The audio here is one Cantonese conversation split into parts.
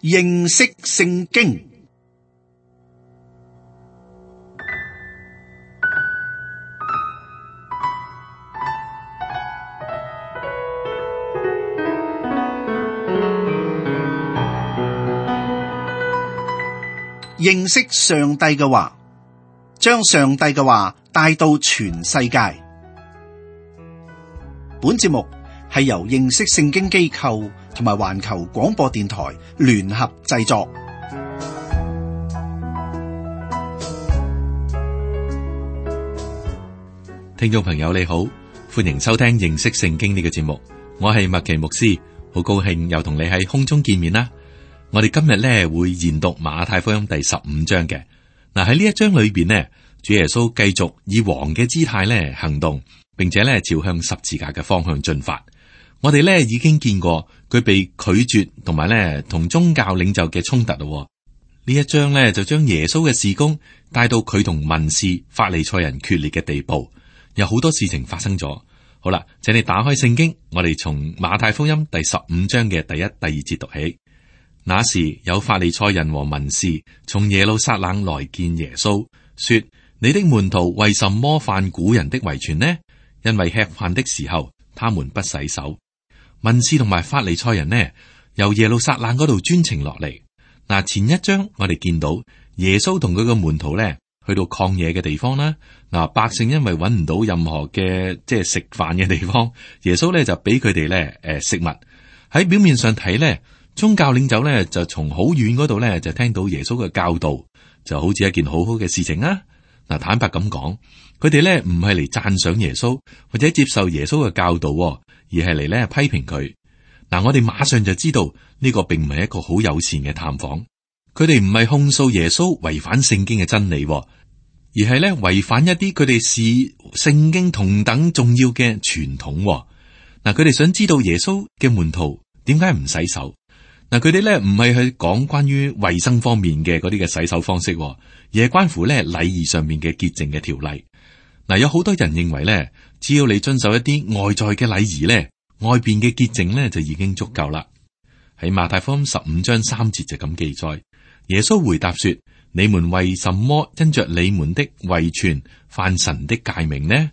認識聖經。認識上帝嘅話，將上帝嘅話帶到全世界。本節目係由認識聖經機構同埋環球廣播電台聯合製作。聽眾朋友你好，歡迎收聽認識聖經呢個節目，我係麥奇牧師，好高興又同你喺空中見面啦。我哋今日咧會研讀馬太福音第15章嘅。嗱，喺呢一章裏邊呢，主耶穌繼續以王嘅姿態咧行動，並且咧朝向十字架嘅方向進發。我哋咧已經見過佢被拒絕，同埋咧同宗教領袖嘅衝突咯。呢一章咧就將耶穌嘅事工帶到佢同文士、法利賽人決裂嘅地步，有好多事情發生咗。好啦，請你打開聖經，我哋從馬太福音第15章嘅第1、第2節讀起。那時有法利賽人和文士從耶路撒冷來見耶穌，說：你的門徒為什麼犯古人的遺傳呢？因為吃飯的時候，他們不洗手。文士同埋法利賽人呢，由耶路撒冷嗰度專程落嚟。嗱，前一章我哋見到耶穌同佢嘅門徒呢，去到曠野嘅地方啦。嗱，百姓因為揾唔到任何嘅即係食飯嘅地方，耶穌呢就俾佢哋呢食物。喺表面上睇呢，宗教領袖咧就從好遠嗰度咧就聽到耶穌嘅教導，就好似一件好好嘅事情啊！嗱，坦白咁講，佢哋咧唔係嚟讚賞耶穌或者接受耶穌嘅教導，而係嚟咧批評佢。嗱，我哋馬上就知道呢個並唔係一個好友善嘅探訪。佢哋唔係控訴耶穌違反聖經嘅真理，而係咧違反一啲佢哋視聖經同等重要嘅傳統。嗱，佢哋想知道耶穌嘅門徒點解唔洗手。嗱，佢哋咧唔係去講關於衛生方面嘅嗰啲嘅洗手方式，而係關乎咧禮儀上面嘅潔淨嘅條例。嗱，有好多人認為咧，只要你遵守一啲外在嘅禮儀咧，外邊嘅潔淨咧就已經足夠啦。喺馬太福音15章3節就咁記載，耶穌回答說：你們為什麼因着你們的遺傳犯神的誡命呢？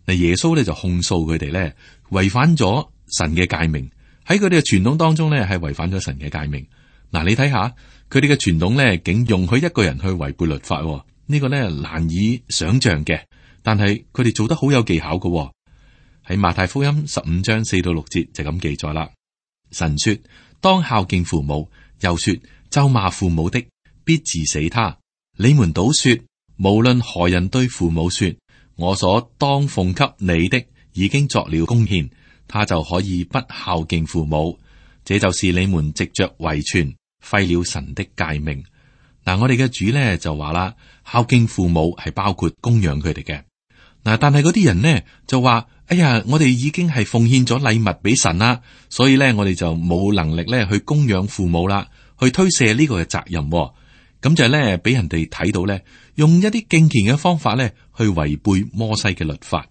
嗱，耶穌咧就控訴佢哋咧違反咗神嘅誡命。喺佢哋嘅傳統當中咧，係違反咗神嘅誡命。嗱，你睇下佢哋嘅傳統咧，竟容許一個人去違背律法，呢個咧難以想象嘅。但係佢哋做得好有技巧嘅。喺馬太福音15章4到6節就咁記載啦。神說：當孝敬父母，又說：咒罵父母的，必治死他。你們倒說，無論何人對父母說：我所當奉給你的，已經作了供獻，他就可以不孝敬父母，這就是你們藉着遺傳廢了神的誡命。嗱，我哋嘅主咧就話啦，孝敬父母係包括供養佢哋嘅。嗱，但係嗰啲人呢就話：哎呀，我哋已經係奉獻咗禮物俾神啦，所以咧我哋就冇能力咧去供養父母啦，去推卸呢個嘅責任。咁就係咧俾人哋睇到咧，用一啲敬虔嘅方法咧去違背摩西嘅律法。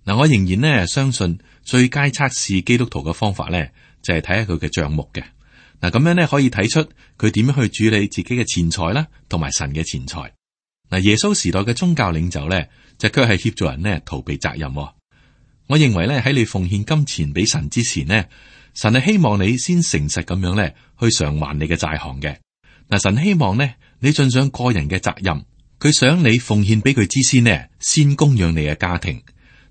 嗱，我仍然呢相信最佳測試基督徒嘅方法咧，就係睇下佢嘅賬目嘅。嗱，咁樣咧可以睇出佢點樣去處理自己嘅錢財啦，同埋神嘅錢財。嗱，耶穌時代嘅宗教領袖咧，就卻係協助人呢逃避責任。我認為咧喺你奉獻金錢俾神之前呢，神係希望你先誠實咁樣咧去償還你嘅債項嘅。嗱，神希望呢你盡上個人嘅責任，佢想你奉獻俾佢之先呢，先供養你嘅家庭。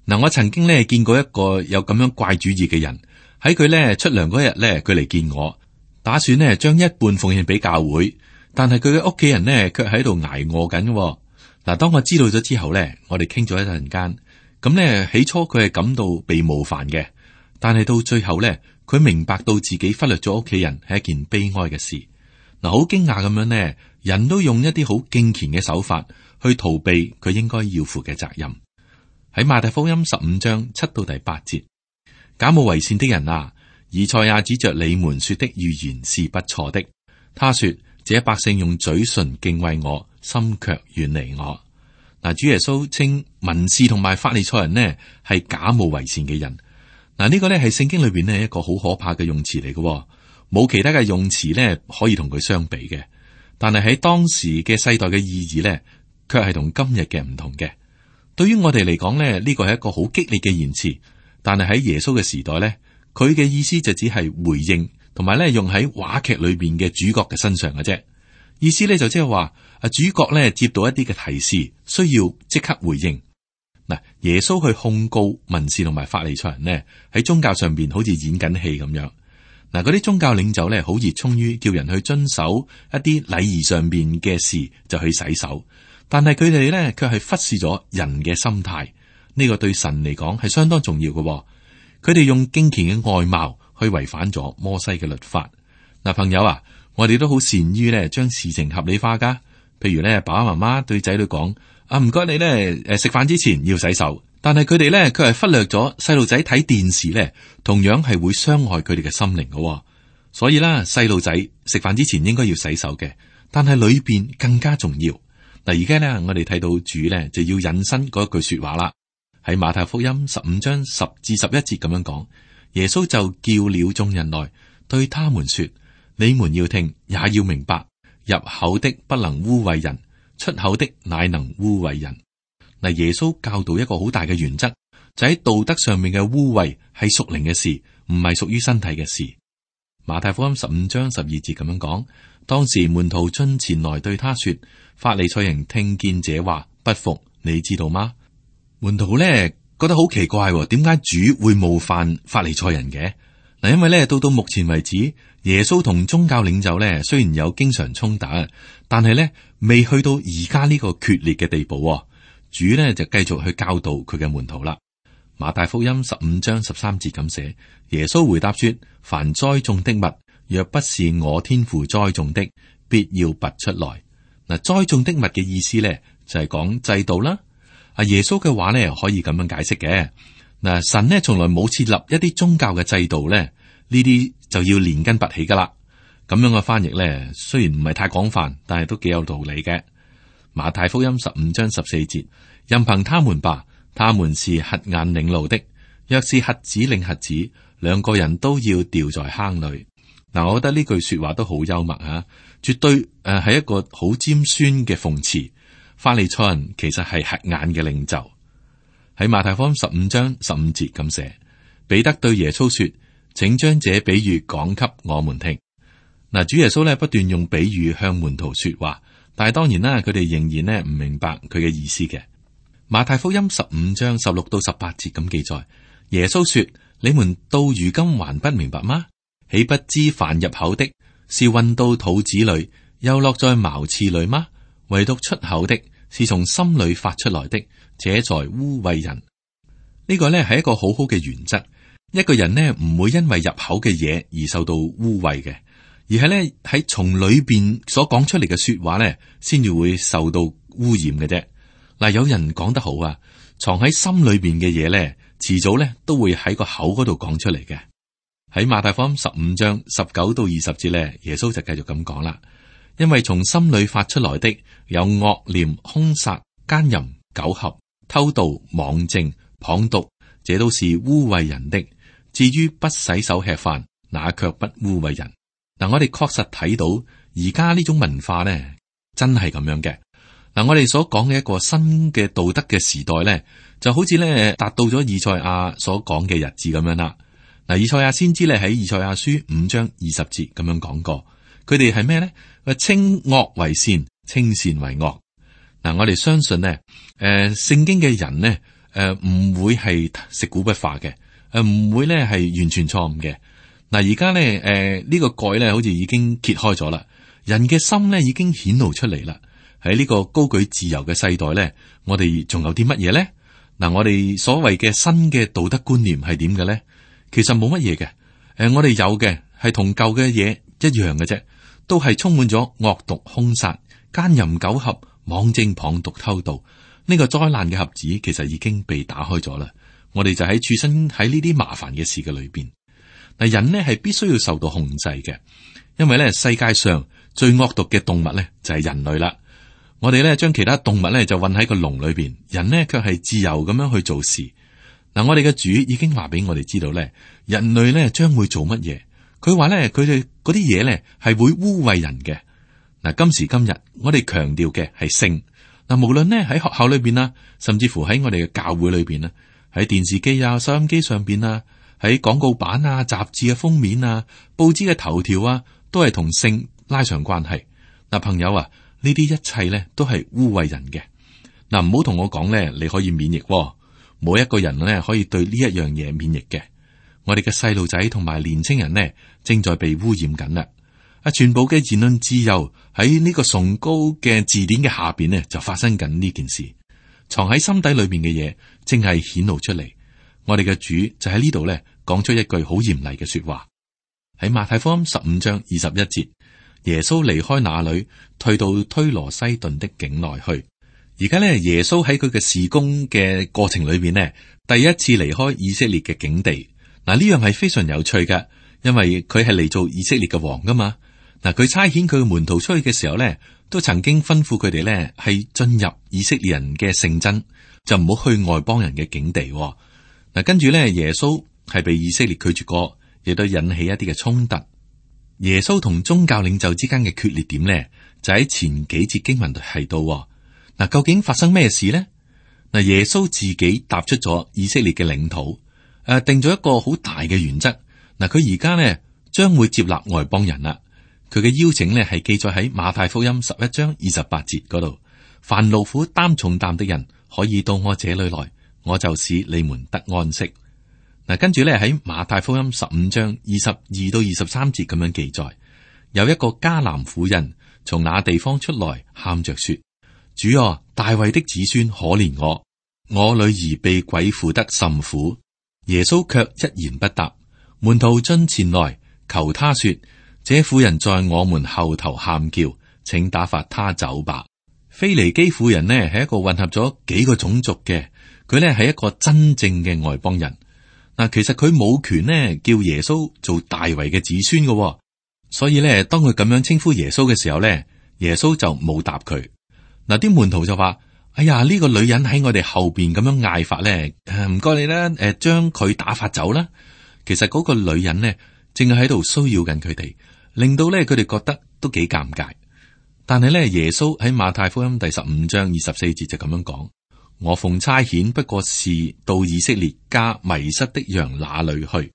嗱，我曾經咧見過一個有咁樣怪主意嘅人，喺佢咧出糧嗰日咧，佢嚟見我，打算咧將一半奉獻俾教會，但係佢嘅屋企人呢，卻喺度挨餓緊。嗱，當我知道咗之後咧，我哋傾咗一陣間，咁咧起初佢係感到被冒犯嘅，但係到最後咧，佢明白到自己忽略咗屋企人係一件悲哀嘅事。嗱，好驚訝咁樣呢，人都用一啲好敬虔嘅手法去逃避佢應該要負嘅責任。喺馬太福音15章7到第8節，假冒為善的人啊，以賽亞指着你們說的預言是不錯的。他說：這百姓用嘴唇敬畏我，心卻遠離我。嗱，主耶穌稱文士同埋法利賽人呢係假冒為善嘅人。嗱，呢個呢係聖經裏邊呢一個好可怕嘅用詞嚟嘅。冇其他嘅用詞咧可以同佢相比嘅。但係喺當時嘅世代嘅意義咧，卻係同今日嘅唔同嘅。對於我哋嚟講咧，呢個係一個好激烈嘅言辭，但係喺耶穌嘅時代咧，佢嘅意思就只係回應，同埋咧用喺話劇裏邊嘅主角嘅身上嘅啫。意思咧就即係話，主角咧接到一啲嘅提示，需要即刻回應。嗱，耶穌去控告文士同埋法利賽人呢，喺宗教上邊好似演緊戲咁樣。嗱，嗰啲宗教領袖咧好熱衷於叫人去遵守一啲禮儀上邊嘅事，就去洗手。但係佢哋咧卻係忽視咗人嘅心態。呢個對神嚟講係相當重要嘅。佢哋用敬虔嘅外貌去違反咗摩西嘅律法。嗱，朋友啊，我哋都好善於咧將事情合理化噶。譬如咧，爸爸媽媽對仔女講：唔該你咧，食飯之前要洗手。但係佢哋咧，佢係忽略咗細路仔睇電視咧，同樣係會傷害佢哋嘅心靈嘅。所以啦，細路仔食飯之前應該要洗手嘅，但係裏邊更加重要。嗱，而家咧，我哋睇到主咧就要引申嗰一句說話啦。喺馬太福音15章10至11節咁樣講，耶穌就叫了眾人來，對他們說：你們要聽，也要明白，入口的不能污穢人，出口的乃能污穢人。嗱，耶穌教導一個好大嘅原則，就喺道德上面嘅污穢係屬靈嘅事，唔係屬於身體嘅事。馬太福音15章12節咁樣講，當時門徒進前來對他說：法利賽人聽見這話不服，你知道嗎？門徒咧覺得好奇怪，點解主會冒犯法利賽人嘅？嗱，因為咧到目前為止，耶穌同宗教領袖咧雖然有經常衝突，但係咧未去到而家呢個決裂嘅地步。主咧就繼續去教導佢嘅門徒啦。馬太福音15章13節咁寫，耶穌回答說：凡栽種的物，若不是我天父栽種的，必要拔出來。嗱，栽種的物嘅意思咧就係講制度啦。耶穌嘅話咧可以咁樣解釋嘅。嗱，神呢從來冇設立一啲宗教嘅制度咧，呢啲就要連根拔起噶啦。咁樣嘅翻譯咧，雖然唔係太廣泛，但係都幾有道理嘅。馬太福音15章14節，任憑他們吧，他們是瞎眼領路的。若是瞎子領瞎子，兩個人都要掉在坑裏。嗱，我覺得呢句說話都好幽默啊，絕對係一個好尖酸嘅諷刺。法利賽人其實係瞎眼嘅領袖。喺馬太福音15章15節咁寫，彼得對耶穌說：請將這比喻講給我們聽。嗱，主耶穌咧不斷用比喻向門徒說話，但係當然啦，佢哋仍然咧唔明白佢嘅意思嘅。馬太福音15章16到18節咁記載，耶穌說：你們到如今還不明白嗎？豈不知凡入口的，是運到肚子裏，又落在茅廁裏嗎？唯獨出口的，是從心裏發出來的，這才污穢人。呢個呢係一個好好嘅原則。一個人呢唔會因為入口嘅嘢而受到污穢嘅，而係呢喺從裏邊所講出嚟嘅說話呢，先至會受到污染嘅啫。嗱，有人講得好啊，藏喺心裏邊嘅嘢呢，遲早呢都會喺個口嗰度講出嚟嘅。喺馬太福音15章19到20節呢，耶穌就繼續咁講啦。因為從心裏發出來的有惡念、兇殺、奸淫、苟合、偷盜、妄證、謗讟，這都是污穢人的。至於不洗手吃飯，那卻不污穢人。嗱，我哋確實睇到而家呢種文化呢，真係咁樣嘅。嗱，我哋所講嘅一個新嘅道德嘅時代呢，就好似呢達到咗以賽亞所講嘅日子咁樣啦。嗱，以賽亞先知咧喺以賽亞書5章20節咁樣講過。佢哋係咩呢？稱惡為善，稱善為惡。嗱，我哋相信呢，聖經嘅人呢，唔會係食古不化嘅，唔會呢係完全錯誤嘅。嗱，而家呢，呢個蓋呢好似已經揭開咗啦，人嘅心呢已經顯露出嚟啦。喺呢個高舉自由嘅世代呢，我哋仲有啲乜嘢呢？嗱，我哋所謂嘅新嘅道德觀念係點嘅呢？其實冇乜嘢嘅。我哋有嘅係同舊嘅嘢一樣嘅啫。都係充滿咗惡毒、兇殺、奸淫、苟合、妄證、謗讟、偷盜。呢個災難嘅盒子其實已經被打開咗啦。我哋就喺處身喺呢啲麻煩嘅事嘅裏邊。嗱，人呢係必須要受到控制嘅，因為咧世界上最惡毒嘅動物咧就係人類啦。我哋咧將其他動物咧就韞喺個籠裏邊，人呢卻係自由咁樣去做事。嗱，我哋嘅主已經話俾我哋知道咧，人類咧將會做乜嘢。佢話咧，佢哋嗰啲嘢咧係會污穢人嘅。嗱，今時今日我哋強調嘅係聖。嗱，無論呢喺學校裏邊啦，甚至乎喺我哋嘅教會裏邊啦，喺電視機啊、收音機上邊啊，喺廣告版啊、雜誌嘅封面啊、報紙嘅頭條啊，都係同性拉上關係。嗱，朋友啊，呢啲一切咧都係污穢人嘅。嗱，唔好同我講咧，你可以免疫喎，冇一個人咧可以對呢一樣嘢免疫嘅。我哋嘅細路仔同埋年青人呢，正在被污染緊啦。全部嘅言論自由喺呢個崇高嘅字典嘅下邊呢，就發生緊呢件事。藏喺心底裏邊嘅嘢，正係顯露出嚟。我哋嘅主就喺呢度咧，講出一句好嚴厲嘅說話。喺馬太福音15章21節，耶穌離開那裏，退到推羅西頓的境內去。而家咧，耶穌喺佢嘅事工嘅過程裏邊呢，第一次離開以色列嘅境地。嗱，呢樣係非常有趣嘅，因為佢係嚟做以色列嘅王噶嘛。嗱，佢差遣佢嘅門徒出去嘅時候咧，都曾經吩咐佢哋咧係進入以色列人嘅聖真，就唔好去外邦人嘅境地。嗱，跟住咧，耶穌係被以色列拒絕過，亦都引起一啲嘅衝突。耶穌同宗教領袖之間嘅決裂點咧，就喺前幾節經文提到。嗱，究竟發生咩事呢？嗱，耶穌自己踏出咗以色列嘅領土，定咗一個好大嘅原則。嗱，佢而家咧將會接納外邦人啦。佢嘅邀請咧係記載喺馬太福音11章28節嗰度。凡勞苦擔重擔的人，可以到我這裏來，我就使你們得安息。嗱，跟住咧喺馬太福音15章22到23節咁樣記載，有一個迦南婦人從那地方出來，喊着說：主啊，大衛的子孫可憐我，我女兒被鬼附得甚苦。耶穌卻一言不答。門徒進前來求他說：這婦人在我們後頭喊叫，請打發他走吧。腓尼基婦人呢係一個混合咗幾個種族嘅，佢呢係一個真正嘅外邦人。嗱，其實佢冇權呢叫耶穌做大衛嘅子孫嘅，所以呢，當佢咁樣稱呼耶穌嘅時候呢，耶穌就冇答佢。嗱，啲門徒就話：哎呀，呢個女人喺我哋後邊咁樣嗌法咧，唔該你啦，將佢打發走啦。其實嗰個女人呢，正係喺度騷擾緊佢哋，令到咧佢哋覺得都幾尷尬。但係咧，耶穌喺馬太福音第15章24節就咁樣講：我奉差遣不過是到以色列家迷失的羊那裏去。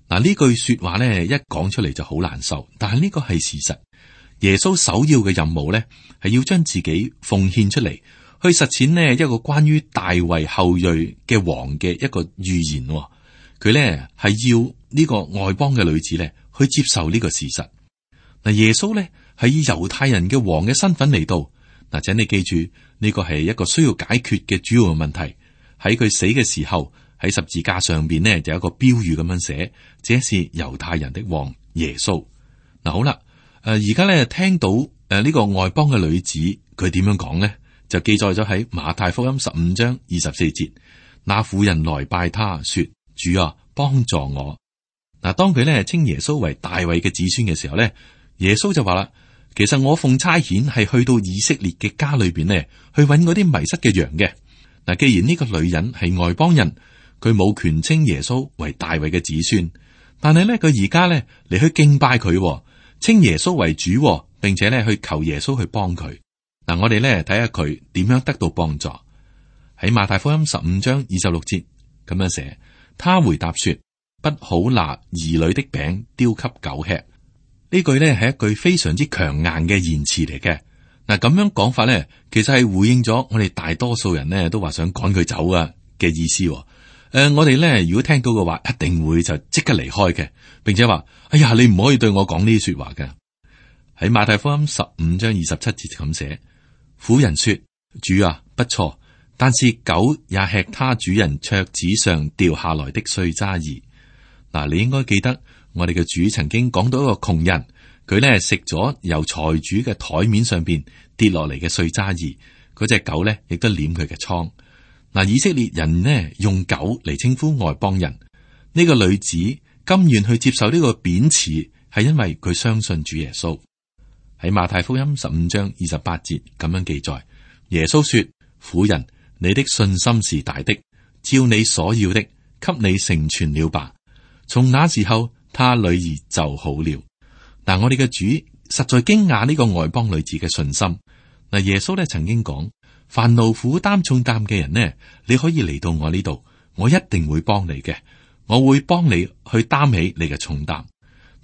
嗱，呢句說話咧一講出嚟就好難受，但係呢個係事實。耶穌首要嘅任務咧係要將自己奉獻出嚟，去實踐呢一個關於大衛後裔嘅王嘅一個預言。佢咧係要呢個外邦嘅女子咧去接受呢個事實。嗱，耶穌咧係以猶太人嘅王嘅身份嚟到。嗱，請你記住呢個係一個需要解決嘅主要嘅問題。喺佢死嘅時候，喺十字架上邊呢就有一個標語咁樣寫：這是猶太人的王耶穌。嗱，好啦，而家咧聽到呢個外邦嘅女子佢點樣講呢？就記載咗喺馬太福音15章24節。那婦人來拜他說：主啊，幫助我。嗱，當佢咧稱耶穌為大衛嘅子孫嘅時候咧，耶穌就話啦：其實我奉差遣係去到以色列嘅家裏邊咧，去揾嗰啲迷失嘅羊嘅。嗱，既然呢個女人係外邦人，佢冇權稱耶穌為大衛嘅子孫，但係咧佢而家咧嚟去敬拜佢，稱耶穌為主，並且咧去求耶穌去幫佢。嗱，我哋咧睇下佢點樣得到幫助。喺馬太福音15章26節咁樣寫，他回答說：不好拿兒女的餅丟給狗吃。呢句咧係一句非常之強硬嘅言辭嚟嘅。嗱，咁樣講法咧，其實係回應咗我哋大多數人咧都話想趕佢走啊嘅意思。我哋咧如果聽到嘅話，一定會就即刻離開嘅，並且話：哎呀，你唔可以對我講呢啲說話嘅。喺馬太福音15章27節咁寫，婦人說：主啊，不錯，但是狗也吃他主人桌子上掉下來的碎渣兒。嗱，你應該記得我哋嘅主曾經講到一個窮人，佢咧食咗由財主嘅台面上邊跌落嚟嘅碎渣兒，嗰隻狗咧亦都舐佢嘅瘡。嗱，以色列人呢用狗嚟稱呼外邦人，呢個女子甘願去接受呢個貶詞，係因為佢相信主耶穌。喺馬太福音15章28節咁樣記載，耶穌說：婦人，你的信心是大的，照你所要的，給你成全了吧。從那時候，他女兒就好了。嗱，我哋嘅主實在驚訝呢個外邦女子嘅信心。嗱，耶穌咧曾經講：凡勞苦擔重擔嘅人呢，你可以嚟到我呢度，我一定會幫你嘅，我會幫你去擔起你嘅重擔。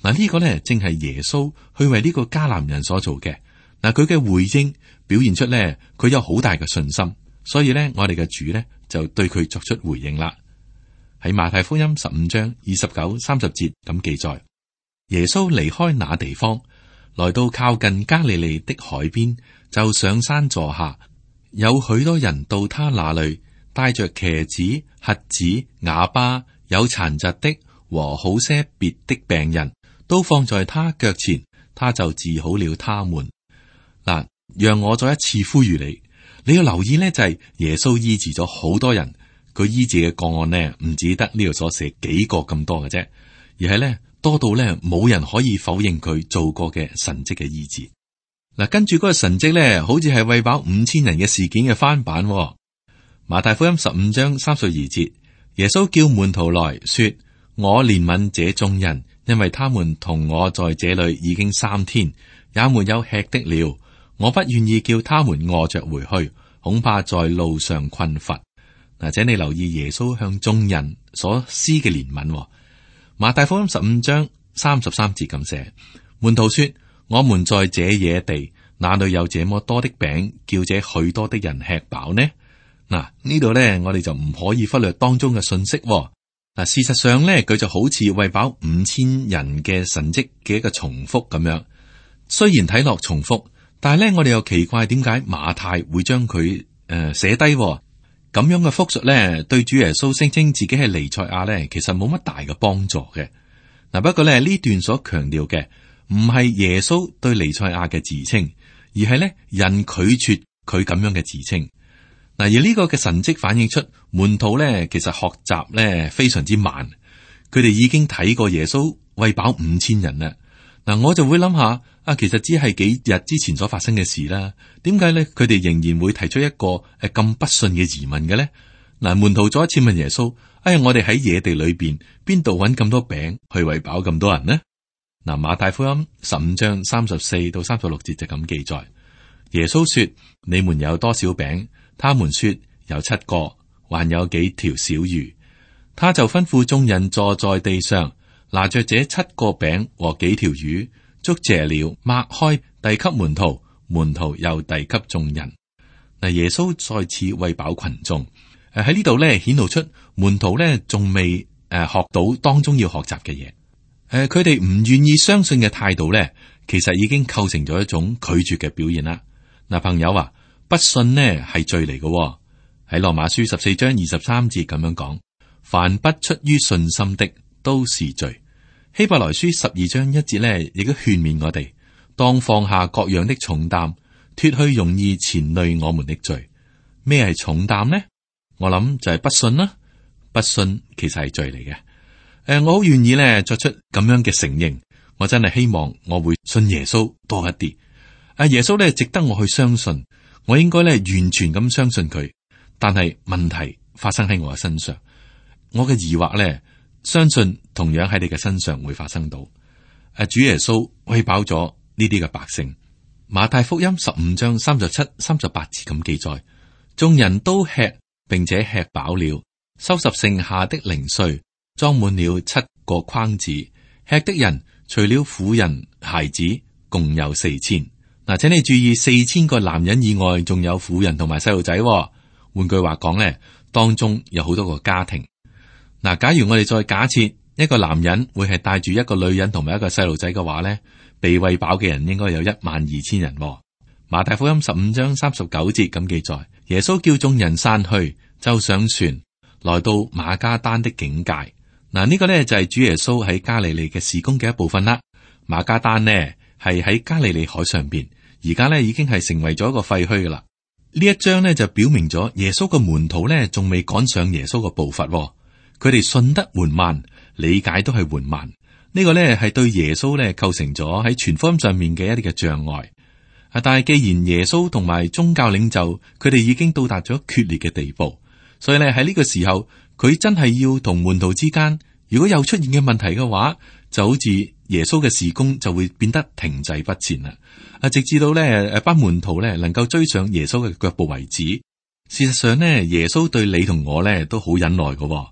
嗱，呢個呢，正係耶穌去為呢個迦南人所做嘅。嗱，佢嘅回應表現出呢，佢有好大嘅信心，所以呢，我哋嘅主呢，就對佢作出回應啦。喺馬太福音15章29、30節咁記載，耶穌離開那地方，來到靠近加利利的海邊，就上山坐下。有許多人到他那裏，帶着瘸子、瞎子、啞巴、有殘疾的和好些別的病人，都放在他腳前，他就治好了他們。嗱，讓我再一次呼籲你，你要留意呢，就係耶穌醫治咗好多人，佢醫治嘅個案呢，唔止得呢度所寫幾個咁多嘅啫，而係呢，多到呢，冇人可以否認佢做過嘅神蹟嘅醫治。嗱，跟住嗰個神蹟咧，好似係餵飽5000人嘅事件嘅翻版。馬太福音15章32節，耶穌叫門徒來說：我憐憫這眾人，因為他們同我在這裏已經3天，也沒有吃的了。我不願意叫他們餓着回去，恐怕在路上困乏。嗱，請你留意耶穌向眾人所施嘅憐憫。馬太福音15章33節咁寫：門徒說。我們在這野地，哪裏有這麼多的餅，叫這許多的人吃飽呢？嗱，呢度呢，我哋就唔可以忽略當中嘅信息。嗱，事實上呢，佢就好似餵飽5000人嘅神蹟嘅一個重複咁樣。雖然睇落重複，但係呢，我哋又奇怪點解馬太會將佢寫低咁樣嘅複述呢？對主耶穌聲稱自己係彌賽亞呢，其實冇乜大嘅幫助嘅。嗱，不過呢段所強調嘅。唔係耶穌對彌賽亞嘅自稱，而係咧人拒絕佢咁樣嘅自稱。嗱，而呢個嘅神蹟反映出門徒咧，其實學習咧非常之慢。佢哋已經睇過耶穌餵飽5000人啦。嗱，我就會諗下啊，其實只係幾日之前所發生嘅事啦。點解咧？佢哋仍然會提出一個咁不信嘅疑問嘅咧？嗱，門徒再一次問耶穌：哎呀，我哋喺野地裏邊度搵咁多餅去餵飽咁多人呢？嗱，馬太福音15章34到36節就咁記載，耶穌說：你們有多少餅？他們說有7個，還有幾條小魚。他就吩咐眾人坐在地上，拿着這7個餅和幾條魚，祝謝了，擘開，遞給門徒，門徒又遞給眾人。嗱，耶穌再次餵飽群眾。喺呢度咧顯露出門徒咧仲未學到當中要學習嘅嘢。佢哋唔願意相信嘅態度咧，其實已經構成咗一種拒絕嘅表現啦。嗱，朋友啊，不信呢係罪嚟嘅。喺羅馬書14章23節咁樣講：凡不出於信心的都是罪。希伯來書12章1節咧，亦都勸勉我哋當放下各樣的重擔，脫去容易纏累我們的罪。咩係重擔呢？我諗就係不信啦。不信其實係罪嚟嘅。我好願意咧作出咁樣嘅承認，我真係希望我會信耶穌多一啲。耶穌咧值得我去相信，我應該咧完全咁相信佢。但係問題發生喺我嘅身上，我嘅疑惑咧，相信同樣喺你嘅身上會發生到。主耶穌餵飽咗呢啲嘅百姓。馬太福音15章37、38節咁記載，眾人都吃，並且吃飽了，收拾剩下的零碎，裝滿了7個筐子。吃的人除了婦人、孩子，共有4000。嗱，請你注意，4000個男人以外，仲有婦人同埋細路仔。換句話講咧，當中有好多個家庭。嗱，假如我哋再假設一個男人會係帶住一個女人同埋一個細路仔嘅話咧，被餵飽嘅人應該有12000人。馬太福音15章39節咁記載，耶穌叫眾人散去，就上船，來到馬加丹的境界。嗱，呢個咧就係主耶穌喺加利利嘅事工嘅一部分啦。馬加丹呢係喺加利利海上邊，而家咧已經係成為咗一個廢墟噶啦。呢一章咧就表明咗耶穌嘅門徒咧仲未趕上耶穌嘅步伐，佢哋信得緩慢，理解都係緩慢。呢個咧係對耶穌咧構成咗喺傳福音上面嘅一啲嘅障礙。但係既然耶穌同埋宗教領袖佢哋已經到達咗決裂嘅地步，所以咧喺呢個時候佢真係要同門徒之間如果有出現嘅問題嘅話，就好似耶穌嘅事工就會變得停滯不前啦。直至到咧班門徒咧能夠追上耶穌嘅腳步為止。事實上呢，耶穌對你同我咧都好忍耐嘅。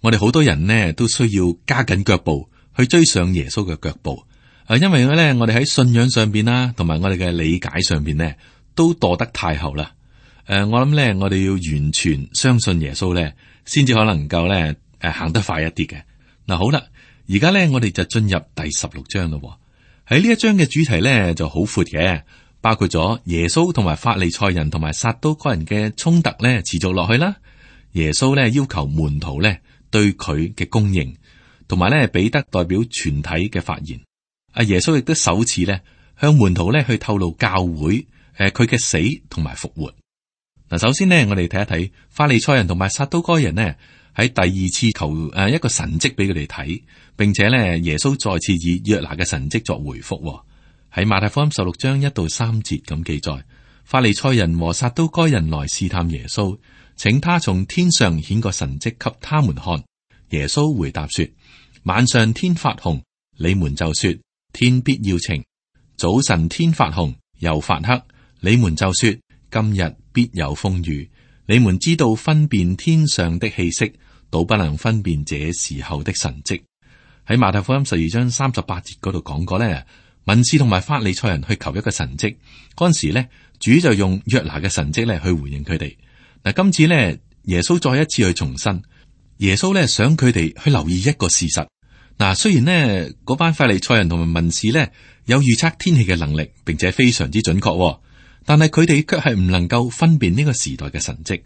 我哋好多人呢都需要加緊腳步去追上耶穌嘅腳步。因為咧我哋喺信仰上邊啦，同埋我哋嘅理解上邊呢，都墮得太後啦。我諗咧，我哋要完全相信耶穌咧，先至可能夠咧行得快一啲嘅。嗱，好啦，而家咧我哋就進入第16章咯。喺呢一章嘅主題咧就好闊嘅，包括咗耶穌同埋法利賽人同埋撒都該人嘅衝突咧持續落去啦。耶穌咧要求門徒咧對佢嘅供應，同埋咧彼得代表全體嘅發言。耶穌亦都首次咧向門徒咧去透露教會佢嘅死同埋復活。嗱，首先呢，我哋睇一睇法利賽人同埋撒都該人呢，喺第二次求一個神蹟俾佢哋睇，並且呢，耶穌再次以約拿嘅神蹟作回覆。喺馬太福音16章1到3節咁記載，法利賽人和撒都該人來試探耶穌，請他從天上顯個神蹟給他們看。耶穌回答說：晚上天發紅，你們就說天必要晴；早晨天發紅又發黑，你們就說今日必有風雨。你們知道分辨天上的氣息，倒不能分辨這時候的神蹟。喺馬太福音12章38節嗰度講過咧，文士同埋法利賽人去求一個神蹟，嗰陣時咧，主就用約拿嘅神蹟咧去回應佢哋。嗱，今次咧，耶穌再一次去重申，耶穌咧想佢哋去留意一個事實。嗱，雖然呢嗰班法利賽人同埋文士咧有預測天氣嘅能力，並且非常之準確，但係佢哋卻係唔能夠分辨呢個時代嘅神蹟。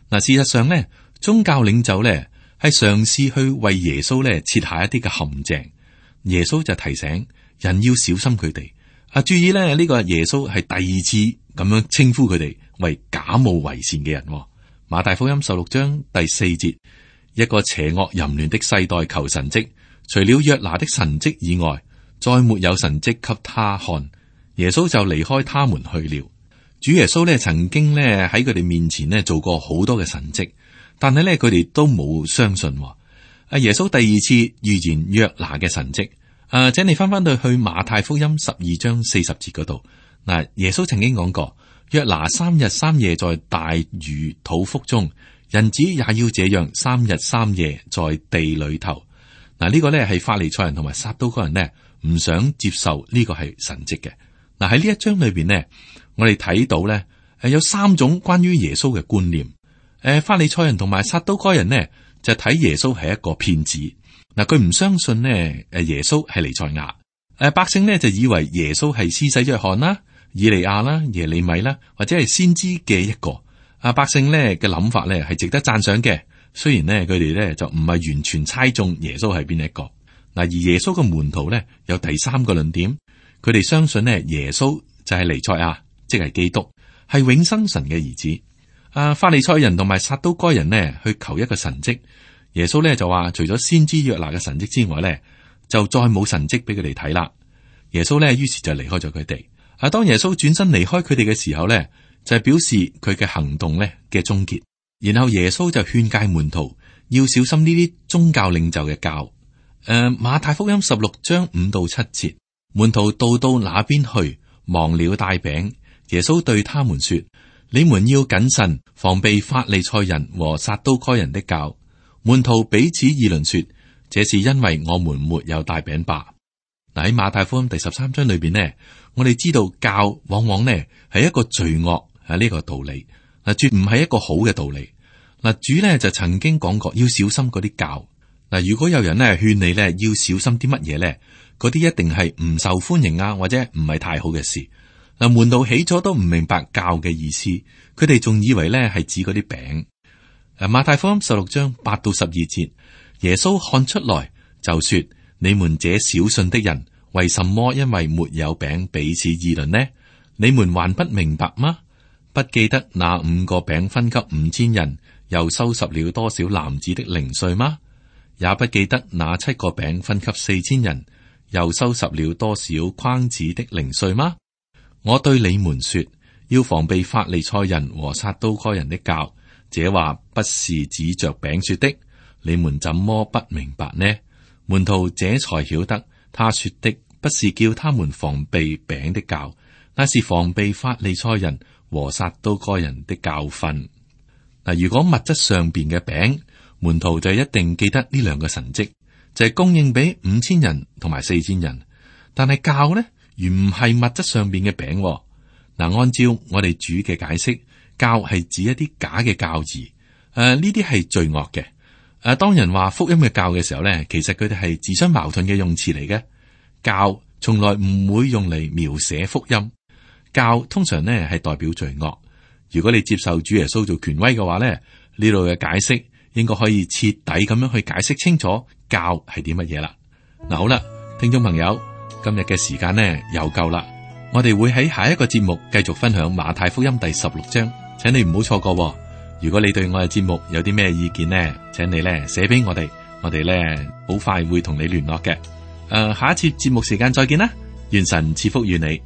嗱，事實上咧，宗教領袖咧係嘗試去為耶穌咧設下一啲嘅陷阱。耶穌就提醒人要小心佢哋。注意咧，呢個耶穌係第二次咁樣稱呼佢哋為假冒為善嘅人。馬太福音16章第4節，一個邪惡淫亂的世代求神蹟，除了約拿的神蹟以外，再沒有神蹟給他看。耶穌就離開他們去了。主耶穌咧曾經咧喺佢哋面前咧做過好多嘅神蹟，但係咧佢哋都冇相信。耶穌第二次預言約拿嘅神蹟。請你翻到去馬太福音12章40節嗰度。嗱，耶穌曾經講過，約拿3日3夜在大魚肚腹中，人子也要這樣3日3夜在地裏頭。嗱，呢個咧係法利賽人同埋撒都該人呢唔想接受呢個係神蹟嘅。嗱，喺呢一章裏邊呢，我哋睇到咧有3種關於耶穌嘅觀念。法利賽人同埋撒都該人呢就睇耶穌係一個騙子。嗱，佢唔相信呢耶穌係彌賽亞。百姓呢就以為耶穌係施洗約翰啦、以利亞啦、耶利米啦，或者係先知嘅一個。百姓呢嘅諗法呢係值得讚賞嘅。雖然呢佢哋呢就唔係完全猜中耶穌係邊一個。嗱，而耶穌嘅門徒呢有第3個論點，佢哋相信呢耶穌就係彌賽亞，即係基督，係永生神嘅兒子。法利賽人同埋撒都該人呢去求一個神蹟。耶穌咧就話，除咗先知約拿嘅神蹟之外咧，就再冇神蹟俾佢哋睇啦。耶穌咧於是就離開咗佢哋。當耶穌轉身離開佢哋嘅時候咧，就係表示佢嘅行動咧嘅終結。然後耶穌就勸誡門徒要小心呢啲宗教領袖嘅教。馬太福音16章5到7節，門徒到那邊去，忘了帶餅。耶穌對他們說：你們要謹慎，防備法利賽人和撒都該人的教。門徒彼此議論說：這是因為我們沒有帶餅吧。嗱，喺馬太福音第13章裏邊呢，我哋知道教往往呢係一個罪惡呢個道理，嗱，絕唔係一個好嘅道理。嗱，主呢就曾經講過要小心嗰啲教。嗱，如果有人呢勸你呢要小心啲乜嘢呢，嗰啲一定係唔受歡迎啊，或者唔係太好嘅事。嗱，門徒起初都唔明白教嘅意思，佢哋仲以為呢係指嗰啲餅。馬太福音16章8到12節，耶穌看出來就說：你們這小信的人，為什麼因為沒有餅彼此議論呢？你們還不明白嗎？不記得那5個餅分給5000人，又收拾了多少男子的零碎嗎？也不記得那7個餅分給4000人，又收拾了多少筐子的零碎嗎？我對你們說，要防備法利賽人和撒都該人的教。這話不是指着餅說的，你們怎麼不明白呢？門徒這才曉得，他說的不是叫他們防備餅的酵，那是防備法利賽人和撒都該人的教訓。嗱，如果物質上邊嘅餅，門徒就一定記得呢兩個神蹟，就係供應俾5000人同埋4000人。但係酵呢，原唔係物質上邊嘅餅。嗱，按照我哋主嘅解釋，酵係指一啲假嘅教義，呢啲係罪惡嘅。當人話福音嘅酵嘅時候咧，其實佢哋係自相矛盾嘅用詞嚟嘅。酵從來唔會用嚟描寫福音，酵通常呢係代表罪惡。如果你接受主耶穌做權威嘅話咧，呢度嘅解釋應該可以徹底咁樣去解釋清楚酵係啲乜嘢啦。嗱，好啦，聽眾朋友，今日嘅時間呢又夠啦，我哋會喺下一個節目繼續分享馬太福音第16章，請你唔好錯過。如果你對我嘅節目有啲咩意見呢，請你咧寫俾我哋，我哋咧好快會同你聯絡嘅。下一次節目時間再見啦，願神賜福於你。